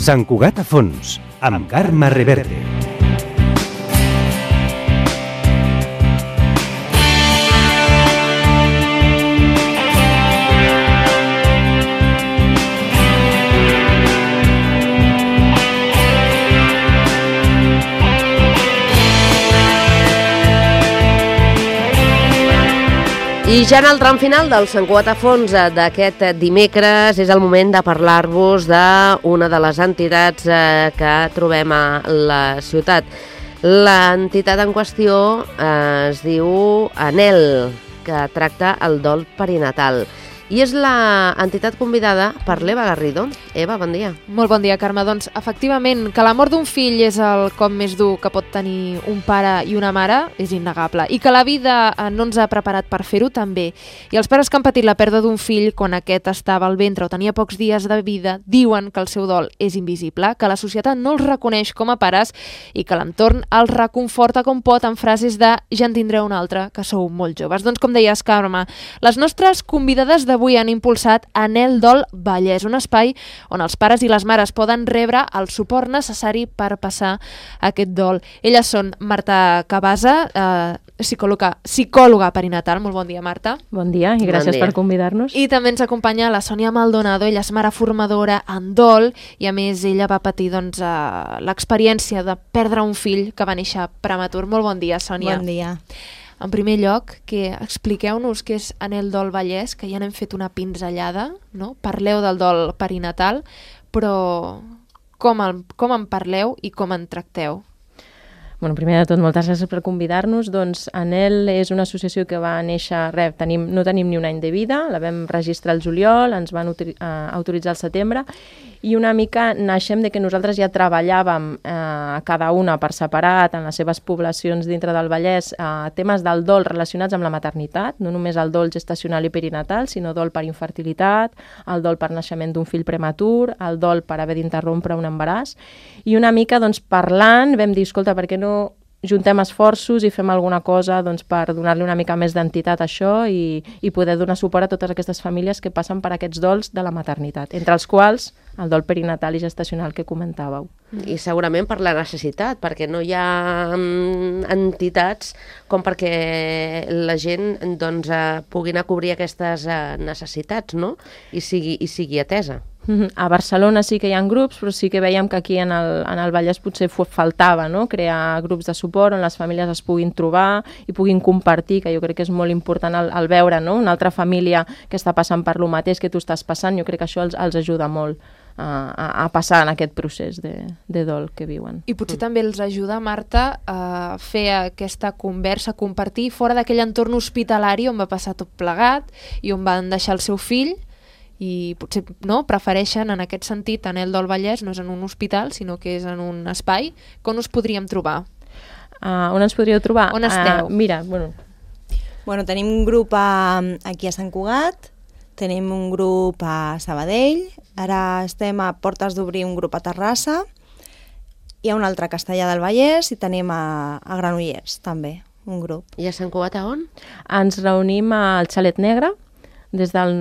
Sant Cugat a fons, amb Carme Reverte. I ja en el tram final del Sant Cugat a fons d'aquest dimecres és el moment de parlar-vos d'una de les entitats que trobem a la ciutat. L'entitat en qüestió es diu ANEL, que tracta el dol perinatal. I és l'entitat convidada per l'Eva Garrido. Eva, bon dia. Molt bon dia, Carme. Doncs, efectivament, que la mort d'un fill és el cop més dur que pot tenir un pare i una mare és innegable. I que la vida no ens ha preparat per fer-ho també. I els pares que han patit la pèrdua d'un fill quan aquest estava al ventre o tenia pocs dies de vida diuen que el seu dol és invisible, que la societat no els reconeix com a pares i que l'entorn els reconforta com pot amb frases de ja en tindreu un altre, que sou molt joves. Doncs, com deies, Carme, les nostres convidades d'avui han impulsat ANEL Dol Vallès, un espai on els pares i les mares poden rebre el suport necessari per passar aquest dol. Elles són Marta Cabasa, psicòloga perinatal. Molt bon dia, Marta. Bon dia i gràcies per convidar-nos. I també ens acompanya la Sònia Maldonado. Ella és mare formadora en dol i, a més, ella va patir l'experiència de perdre un fill que va néixer prematur. Molt bon dia, Sònia. Bon dia. En primer lloc, expliqueu-nos què és ANEL Dol Vallès, que ja n'hem fet una pinzellada, no? Parleu del dol perinatal, però com en parleu i com en tracteu? Bueno, primer de tot, moltes gràcies per convidar-nos. Doncs ANEL és una associació que va néixer, no tenim ni un any de vida, la vam registrar al juliol, ens van autoritzar al setembre, i una mica naixem de que nosaltres ja treballàvem cada una per separat en les seves poblacions dintre del Vallès temes del dol relacionats amb la maternitat, no només el dol gestacional i perinatal, sinó dol per infertilitat, el dol per naixement d'un fill prematur, el dol per haver d'interrompre un embaràs, i una mica parlant vam dir, escolta, per què no juntem esforços i fem alguna cosa per donar-li una mica més d'entitat a això i poder donar suport a totes aquestes famílies que passen per aquests dols de la maternitat, entre els quals el dol perinatal i gestacional que comentàveu. I segurament per la necessitat, perquè no hi ha entitats com perquè la gent pugui anar a cobrir aquestes necessitats, no? I sigui atesa. A Barcelona sí que hi ha grups, però sí que veiem que aquí en el Vallès potser faltava, no? Crear grups de suport on les famílies es puguin trobar i puguin compartir, que jo crec que és molt important el veure, no? Una altra família que està passant per lo mateix que tu estàs passant, jo crec que això els ajuda molt a passar en aquest procés de dol que viuen. I potser també els ajuda, Marta, a fer aquesta conversa, a compartir fora d'aquell entorn hospitalari on va passar tot plegat i on van deixar el seu fill, i potser prefereixen, en aquest sentit, ANEL Dol Vallès no és en un hospital, sinó que és en un espai. On us podríem trobar? On ens podríeu trobar? On esteu? Bueno, tenim un grup aquí a Sant Cugat, tenim un grup a Sabadell, ara estem a portes d'obrir un grup a Terrassa, hi ha un altre a Castellar del Vallès i tenim a Granollers, també, un grup. I a Sant Cugat a on? Ens reunim al Xalet Negre. Al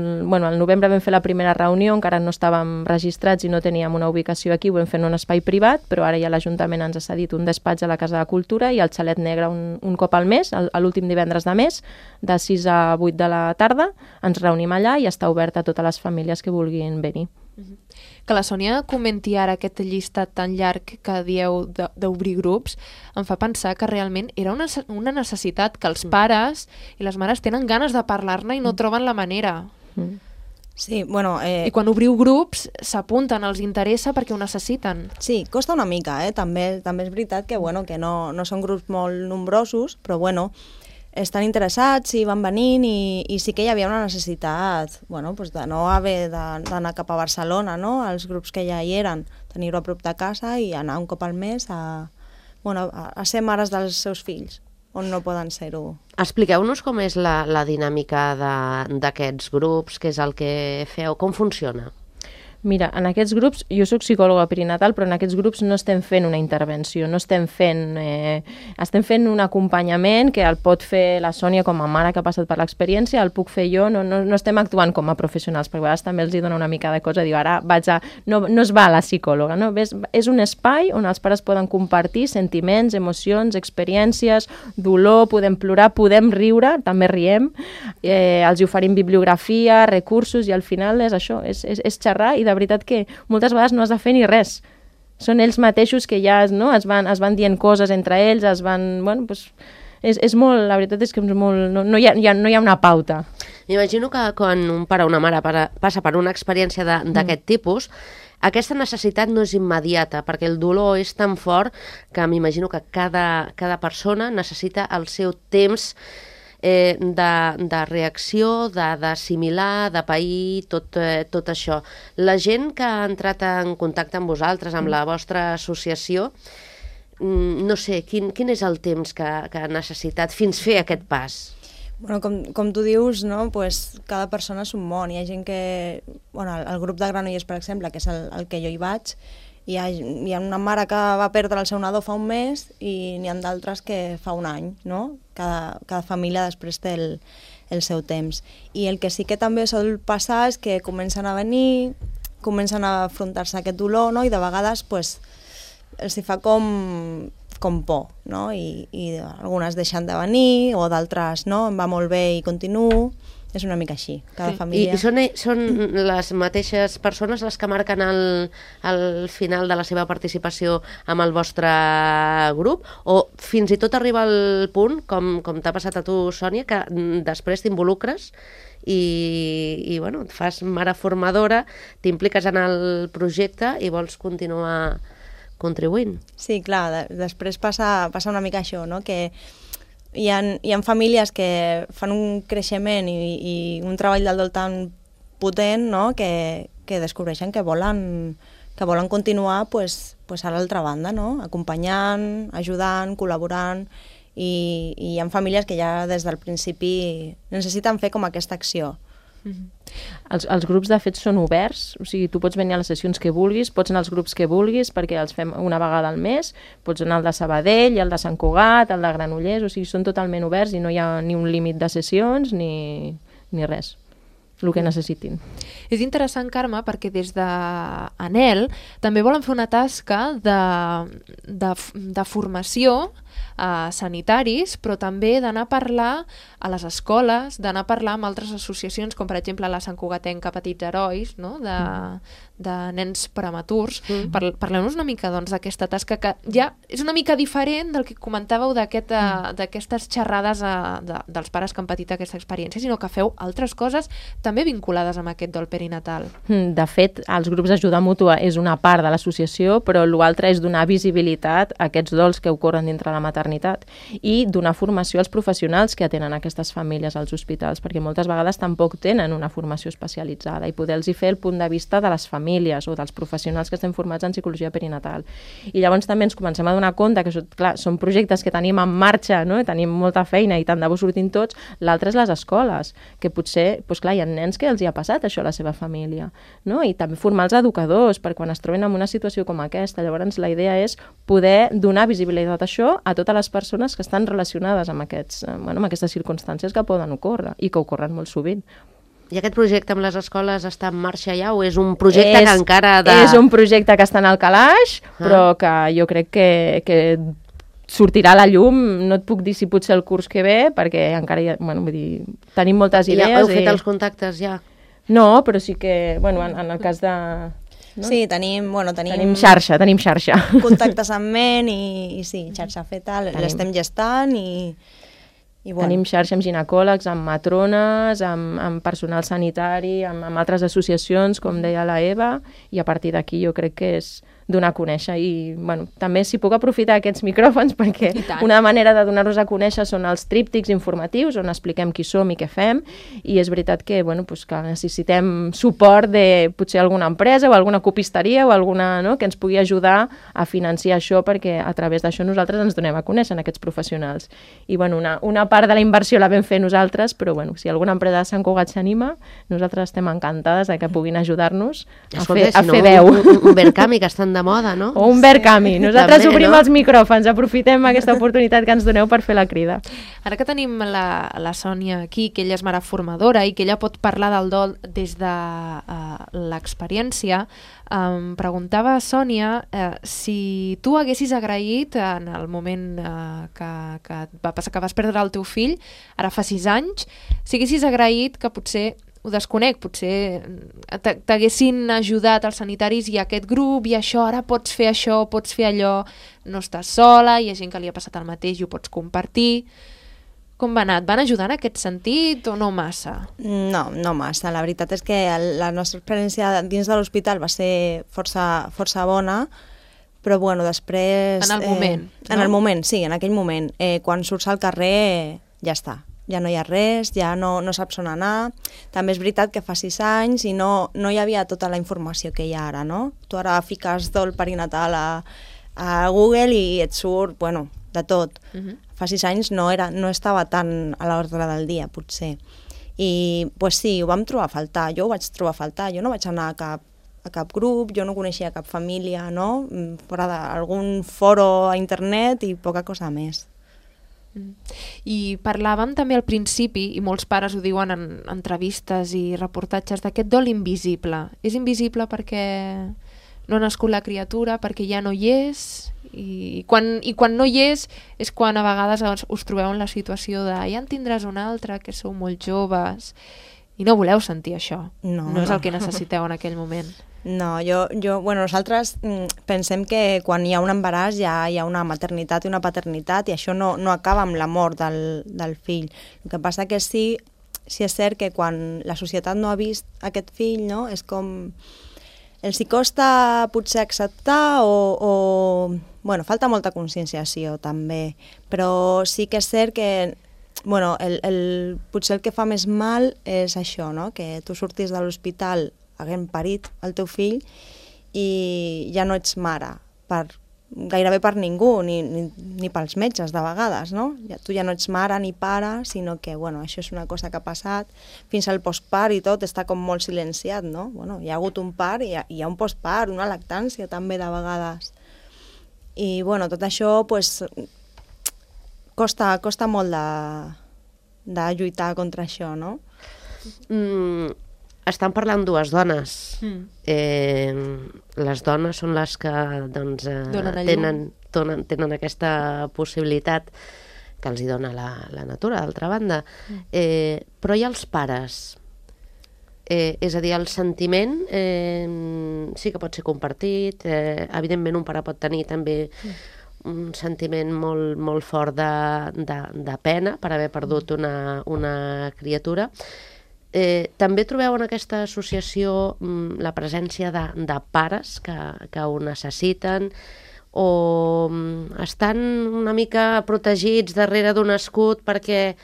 novembre vam fer la primera reunió, encara no estàvem registrats i no teníem una ubicació aquí, ho vam fer en un espai privat, però ara ja l'Ajuntament ens ha cedit un despatx a la Casa de Cultura i al Xalet Negre un cop al mes, l'últim divendres de mes, de 6 a 8 de la tarda, ens reunim allà i està obert a totes les famílies que vulguin venir. Que la Sònia comenti ara aquest llistat tan llarg que dieu d'obrir grups em fa pensar que realment era una necessitat que els pares i les mares tenen ganes de parlar-ne i no troben la manera. Sí, bueno... I quan obriu grups s'apunten, els interessa perquè ho necessiten. Sí, costa una mica, també és veritat que no són grups molt nombrosos, però estan interessats i van venint i sí que hi havia una necessitat de no haver d'anar cap a Barcelona, no? Els grups que ja hi eren, tenir-ho a prop de casa i anar un cop al mes a ser mares dels seus fills, on no poden ser-ho. Expliqueu-nos com és la dinàmica d'aquests grups, què és el que feu, com funciona? Mira, en aquests grups, jo soc psicòloga perinatal, però en aquests grups no estem fent una intervenció, no estem fent... estem fent un acompanyament que el pot fer la Sònia com a mare que ha passat per l'experiència, el puc fer jo, no estem actuant com a professionals, perquè a vegades també els hi dona una mica de cosa, diu, ara vaig a... No es va a la psicòloga, no? És un espai on els pares poden compartir sentiments, emocions, experiències, dolor, podem plorar, podem riure, també riem, els hi oferim bibliografia, recursos, i al final és això, és xerrar, i de veritat que moltes vegades no has de fer ni res. Són ells mateixos que ja es van dient coses entre ells, Bueno, doncs és molt, la veritat és que és molt, no hi ha una pauta. M'imagino que quan un pare o una mare passa per una experiència d'aquest tipus, aquesta necessitat no és immediata, perquè el dolor és tan fort que m'imagino que cada persona necessita el seu temps de reacció, d'assimilar, de pair, tot això. La gent que ha entrat en contacte amb vosaltres, amb la vostra associació, no sé, quin és el temps que ha necessitat fins fer aquest pas? Bueno, com tu dius, no? Pues cada persona és un món. Hi ha gent que... Bueno, el grup de Granollers, per exemple, que és el que jo hi vaig, hi ha una mare que va perdre el seu nadó fa un mes i n'hi ha d'altres que fa un any, no? Cada família després té el seu temps. I el que sí que també sol passar és que comencen a venir, comencen a afrontar-se a aquest dolor, no? I de vegades pues, els hi fa com por, no? I algunes deixen de venir o d'altres no, em va molt bé i continuo. És una mica així, cada família... I són les mateixes persones les que marquen el final de la seva participació amb el vostre grup? O fins i tot arriba al punt, com t'ha passat a tu, Sònia, que després t'involucres i bueno, et fas mare formadora, t'impliques en el projecte i vols continuar contribuint? Sí, clar, després passa una mica això, no? Que hi ha famílies que fan un creixement i un treball del tan potent, no? que descobreixen que volen continuar pues, a l'altra banda, no? Acompanyant, ajudant, col·laborant, i hi ha famílies que ja des del principi necessiten fer com aquesta acció. Els grups de fet són oberts, o sigui, tu pots venir a les sessions que vulguis, pots anar als grups que vulguis perquè els fem una vegada al mes, pots anar al de Sabadell, al de Sant Cugat, al de Granollers, o sigui, són totalment oberts i no hi ha ni un límit de sessions ni res, el que necessitin. És interessant, Carme, perquè des d'Anhel també volen fer una tasca de formació a sanitaris, però també d'anar a parlar a les escoles, d'anar a parlar amb altres associacions, com per exemple la Sant Cugatenca Petits Herois, no? de nens prematurs. Parleu-nos una mica d'aquesta tasca que ja és una mica diferent del que comentàveu d'aquestes xerrades dels pares que han patit aquesta experiència, sinó que feu altres coses també vinculades amb aquest dol perinatal. De fet, els grups d'ajuda mútua és una part de l'associació, però l'altre és donar visibilitat a aquests dols que ocorren dintre la maternitat i donar formació als professionals que atenen aquestes famílies als hospitals, perquè moltes vegades tampoc tenen una formació especialitzada i poder-los fer el punt de vista de les famílies o dels professionals que estem formats en psicologia perinatal. I llavors també ens comencem a donar compte que clar, són projectes que tenim en marxa, no? Tenim molta feina i tant de bo sortim tots. L'altre és les escoles, que potser doncs clar, hi ha nens que els hi ha passat això a la seva família, no? I també formar els educadors per quan es troben en una situació com aquesta. Llavors la idea és poder donar visibilitat a això a totes les persones que estan relacionades amb aquestes circumstàncies que poden ocórrer i que ocorren molt sovint. I aquest projecte amb les escoles està en marxa ja o és un projecte que encara És un projecte que està en el calaix, però que jo crec que sortirà a la llum. No et puc dir si potser el curs que ve, perquè encara tenim moltes idees. Ja heu fet els contactes ja? No, però sí que, en el cas de... No? Sí, tenim xarxa. Contactes en ment i sí, xarxa feta, l'estem gestant i tenim xarxa amb ginecòlegs, amb matrones, amb personal sanitari, amb altres associacions, com deia la Eva, i a partir d'aquí jo crec que és donar a conèixer. I bueno, també si puc aprofitar aquests micròfons perquè una manera de donar-nos a conèixer són els tríptics informatius on expliquem qui som i què fem, i és veritat que, bueno, pues, que necessitem suport de potser alguna empresa o alguna copisteria o alguna, no?, que ens pugui ajudar a financiar això, perquè a través d'això nosaltres ens donem a conèixer en aquests professionals. I bueno, una part de la inversió la vam fer nosaltres, però bueno, si alguna empresa de Sant Cugat s'anima, nosaltres estem encantades de que puguin ajudar-nos a fer veu. Un Verkami, que estan de moda, no? O un Verkami. Nosaltres obrim els micròfons, aprofitem aquesta oportunitat que ens doneu per fer la crida. Ara que tenim la Sònia aquí, que ella és mare formadora i que ella pot parlar del dol des de l'experiència, preguntava a Sònia si tu haguessis agraït en el moment que va passar, que vas perdre el teu fill, ara fa 6 anys, si haguessis agraït que potser, ho desconec, potser t'haguessin ajudat els sanitaris i aquest grup i això, ara pots fer això, pots fer allò, no estàs sola, hi ha gent que li ha passat el mateix i ho pots compartir. Com va anar? Et van ajudar en aquest sentit o no massa? No, no massa. La veritat és que la nostra experiència dins de l'hospital va ser força bona, però bueno, després... En el moment, no? En el moment, sí, en aquell moment. Quan surts al carrer ja està. Ja no hi ha res, ja no saps on anar. També és veritat que fa 6 anys i no hi havia tota la informació que hi ha ara, no? Tu ara fiques dol perinatal a Google i et surt, bueno, de tot. Fa 6 anys no estava tan a l'ordre del dia, potser. I pues sí, ho vam trobar a faltar, jo ho vaig trobar a faltar, jo no vaig anar a cap grup, jo no coneixia cap família, no? Fora d'algun foro a internet i poca cosa més. I parlàvem també al principi, i molts pares ho diuen en entrevistes i reportatges, d'aquest dol invisible. És invisible perquè no ha nascut la criatura, perquè ja no hi és, i quan no hi és quan a vegades us trobeu en la situació de ja en tindràs una altra, que sou molt joves, i no voleu sentir això. No és el que necessiteu en aquell moment. No, bueno, nosaltres pensem que quan hi ha un embaràs ja hi ha una maternitat i una paternitat i això no acaba amb la mort del fill. El que passa que sí és cert que quan la societat no ha vist aquest fill, no, és com... Els hi costa potser acceptar o bueno, falta molta conscienciació també, però sí que és cert que bueno, potser el que fa més mal és això, no? Que tu surtis de l'hospital havent parit el teu fill i ja no ets mare gairebé per ningú, ni pels metges de vegades, no? Tu ja no ets mare ni pare, sinó que bueno, això és una cosa que ha passat, fins al postpart i tot està com molt silenciat, no? Bueno, hi ha hagut un part i hi ha un postpart, una lactància també de vegades. I bueno, tot això pues, costa molt de lluitar contra això, no? Estan parlant dues dones. Les dones són les que doncs, tenen aquesta possibilitat que els hi dona la natura, d'altra banda. Però hi ha els pares. És a dir, el sentiment sí que pot ser compartit. Evidentment, un pare pot tenir també un sentiment molt, molt fort de pena per haver perdut una criatura. També trobeu en aquesta associació la presència de pares que ho necessiten o estan una mica protegits darrere d'un escut perquè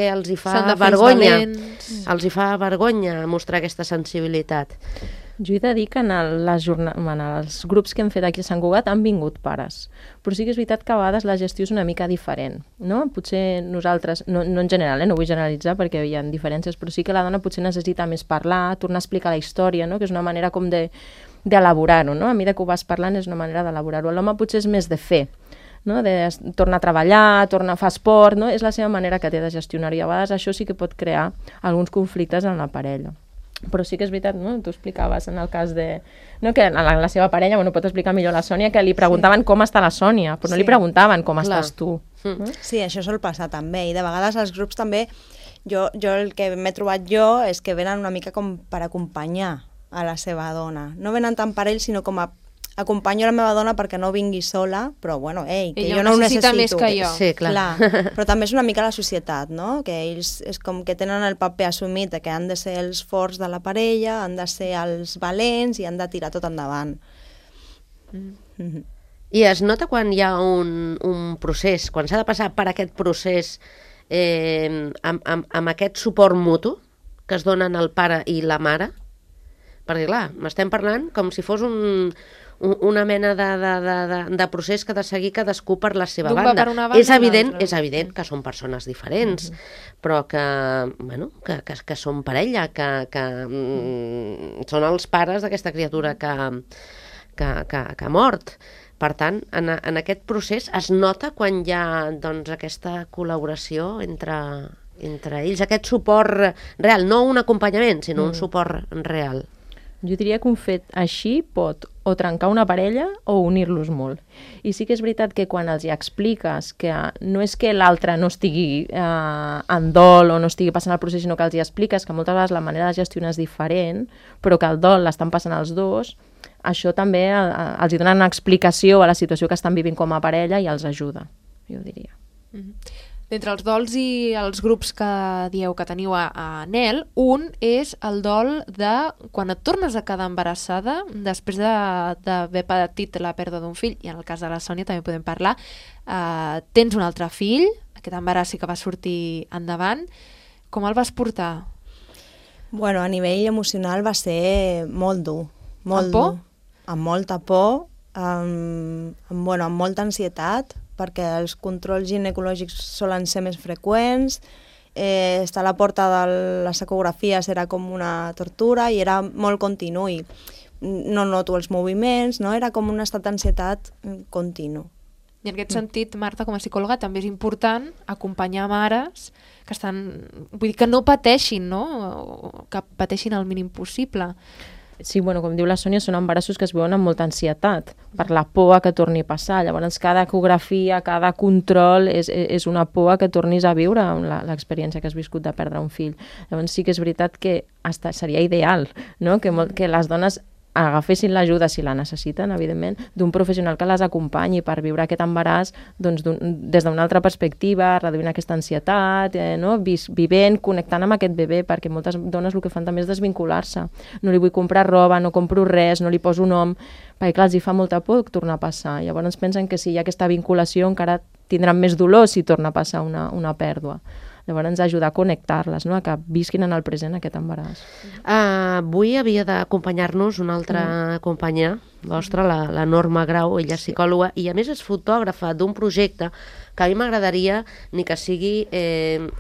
els hi fa vergonya. Els hi fa vergonya mostrar aquesta sensibilitat. Jo he de dir que en els grups que hem fet aquí a Sant Cugat han vingut pares, però sí que és veritat que a vegades la gestió és una mica diferent, no? Potser nosaltres, no en general, no vull generalitzar perquè hi ha diferències, però sí que la dona potser necessita més parlar, tornar a explicar la història, no? Que és una manera com d'elaborar-ho, no? A mesura que ho vas parlant és una manera d'elaborar-ho. L'home potser és més de fer, no? De tornar a treballar, tornar a fer esport, no? És la seva manera que té de gestionar i a vegades això sí que pot crear alguns conflictes en la parella. Però sí que és veritat, no? Tu explicaves en el cas de... No, que la seva parella, bueno, pot explicar millor la Sònia, que li preguntaven com està la Sònia, però no li preguntaven com estàs tu. Sí, això sol passar també, i de vegades als grups també, jo el que m'he trobat jo és que venen una mica com per acompanyar a la seva dona. No venen tant per ell, sinó com a acompanyo la meva dona perquè no vingui sola, però bueno, que jo no ho necessito. Ella més que jo. Sí, clar. Però també és una mica la societat, no? Que ells és com que tenen el paper assumit que han de ser els forts de la parella, han de ser els valents i han de tirar tot endavant. I es nota quan hi ha un procés, quan s'ha de passar per aquest procés amb aquest suport mutu que es donen el pare i la mare, perquè clar, m'estem parlant com si fos una mena de procés que ha de seguir cadascú per la seva banda. Per una banda. És evident que són persones diferents, però que són parella, que són els pares d'aquesta criatura que ha mort. Per tant, en aquest procés es nota quan hi ha aquesta col·laboració entre ells, aquest suport real, no un acompanyament, sinó un suport real. Jo diria que un fet així pot o trencar una parella o unir-los molt. I sí que és veritat que quan els hi expliques que no és que l'altre no estigui en dol o no estigui passant el procés, sinó que els hi expliques que moltes vegades la manera de gestionar és diferent, però que el dol l'estan passant els dos, això també els hi dona una explicació a la situació que estan vivint com a parella i els ajuda, jo diria. D'entre els dols i els grups que dieu que teniu a NEL, un és el dol de quan et tornes a quedar embarassada després d'haver patit la pèrdua d'un fill, i en el cas de la Sònia també podem parlar, tens un altre fill, aquest embaràs sí que va sortir endavant. Com el vas portar? Bueno, a nivell emocional va ser molt dur. Amb por? Amb molta por, amb molta ansietat, perquè els controls ginecològics solen ser més freqüents, estar a la porta de les ecografies era com una tortura i era molt continu i no noto els moviments, no? Era com un estat d'ansietat continu. I en aquest sentit, Marta, com a psicòloga, també és important acompanyar mares que vull dir, que no pateixin, no? Que pateixin el mínim possible. Sí, bueno, com diu la Sònia, són embarassos que es veuen amb molta ansietat, per la por que torni a passar. Llavors, cada ecografia, cada control és una por que tornis a viure l'experiència que has viscut de perdre un fill. Llavors, sí que és veritat que seria ideal, no? Que les dones agafessin l'ajuda, si la necessiten, evidentment, d'un professional que les acompanyi per viure aquest embaràs des d'una altra perspectiva, reduint aquesta ansietat, vivent, connectant amb aquest bebè, perquè moltes dones el que fan també és desvincular-se. No li vull comprar roba, no compro res, no li poso nom, perquè clar, els hi fa molta por tornar a passar. Llavors pensen que si hi ha aquesta vinculació encara tindran més dolor si torna a passar una pèrdua. Llavors ens ajuda a connectar-les, no? A que visquin en el present aquest embaràs. Avui havia d'acompanyar-nos una altra companya vostra, la Norma Grau, ella és psicòloga i a més és fotògrafa d'un projecte que a mi m'agradaria ni que sigui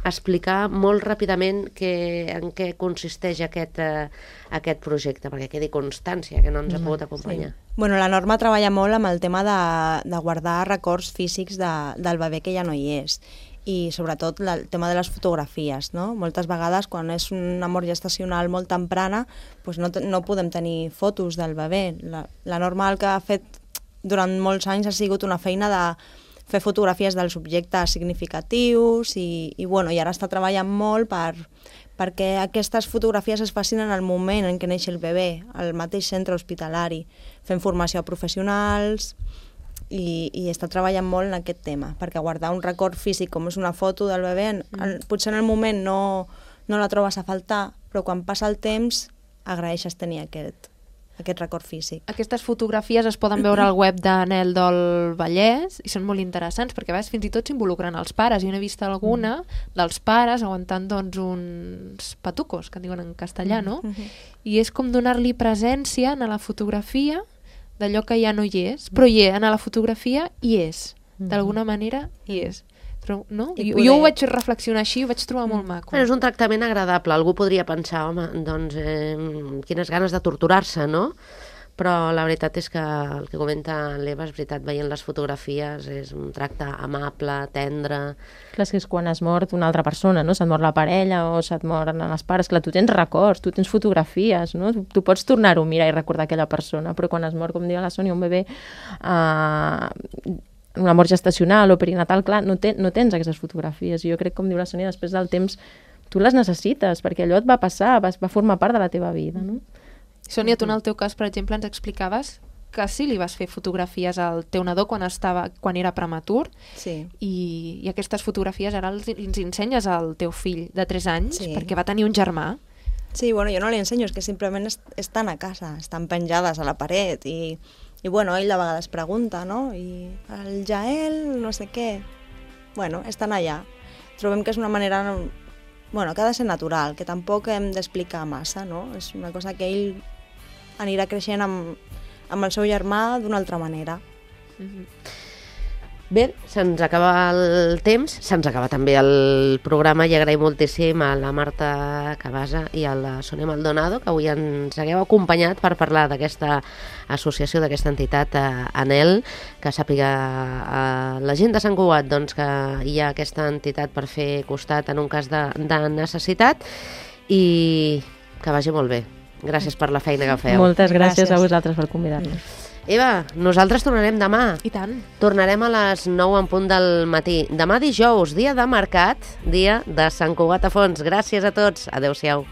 explicar molt ràpidament en què consisteix aquest projecte, perquè quedi constància que no ens ha pogut acompanyar. Sí. Bueno, la Norma treballa molt amb el tema de guardar records físics del bebè que ja no hi és. I sobretot el tema de les fotografies, no? Moltes vegades quan és una mort gestacional molt temprana doncs no podem tenir fotos del bebè. La Norma el que ha fet durant molts anys ha sigut una feina de fer fotografies dels objectes significatius i ara està treballant molt perquè aquestes fotografies es facin en el moment en què neix el bebè, al mateix centre hospitalari, fent formació a professionals i està treballant molt en aquest tema, perquè guardar un record físic com és una foto del bebè, potser en el moment no la trobes a faltar, però quan passa el temps agraeixes tenir aquest record físic. Aquestes fotografies es poden veure al web de NEL del Vallès i són molt interessants perquè a vegades fins i tot s'involucren els pares. Jo n'he vist alguna dels pares aguantant uns patucos, que diuen en castellà, no? I és com donar-li presència a la fotografia d'allò que ja no hi és, però a la fotografia hi és. D'alguna manera hi és. Però, no? Jo ho vaig reflexionar així, ho vaig trobar molt maco. És un tractament agradable. Algú podria pensar, home, doncs, quines ganes de torturar-se, no? Però la veritat és que el que comenta l'Eva és veritat, veient les fotografies és un tracte amable, tendre. Clar, és quan es mor una altra persona, no? Se't mor la parella o se't moren els pares, clar, tu tens records, tu tens fotografies, no? Tu pots tornar-ho a mirar i recordar aquella persona, però quan es mor, com diu la Sònia, un bebè, una mort gestacional o perinatal, clar, no tens aquestes fotografies. I jo crec, com diu la Sònia, després del temps tu les necessites, perquè allò et va passar, va formar part de la teva vida, no? Sònia, tu en el teu cas, per exemple, ens explicaves que sí li vas fer fotografies al teu nadó quan era prematur, sí. I aquestes fotografies ara els ensenyes al teu fill de 3 anys, sí. Perquè va tenir un germà. Sí, bueno, jo no li ensenyo, és que simplement estan a casa, estan penjades a la paret i I bueno, ell de vegades pregunta, no? I el Jael, no sé què... Bueno, estan allà. Trobem que és una manera, bueno, que ha de ser natural, que tampoc hem d'explicar massa, no? És una cosa que ell anirà creixent amb el seu germà d'una altra manera. Bé, se'ns acaba el temps, se'ns acaba també el programa i agraïm moltíssim a la Marta Cabasa i a la Sònia Maldonado que avui ens hagueu acompanyat per parlar d'aquesta associació, d'aquesta entitat ANEL, que sàpiga la gent de Sant Cugat doncs, que hi ha aquesta entitat per fer costat en un cas de necessitat i que vagi molt bé. Gràcies per la feina que feu. Moltes gràcies a vosaltres per convidar-nos. Eva, nosaltres tornarem demà. I tant. Tornarem a les 9 en punt del matí. Demà dijous, dia de mercat, dia de Sant Cugat a Fons. Gràcies a tots. Adéu-siau.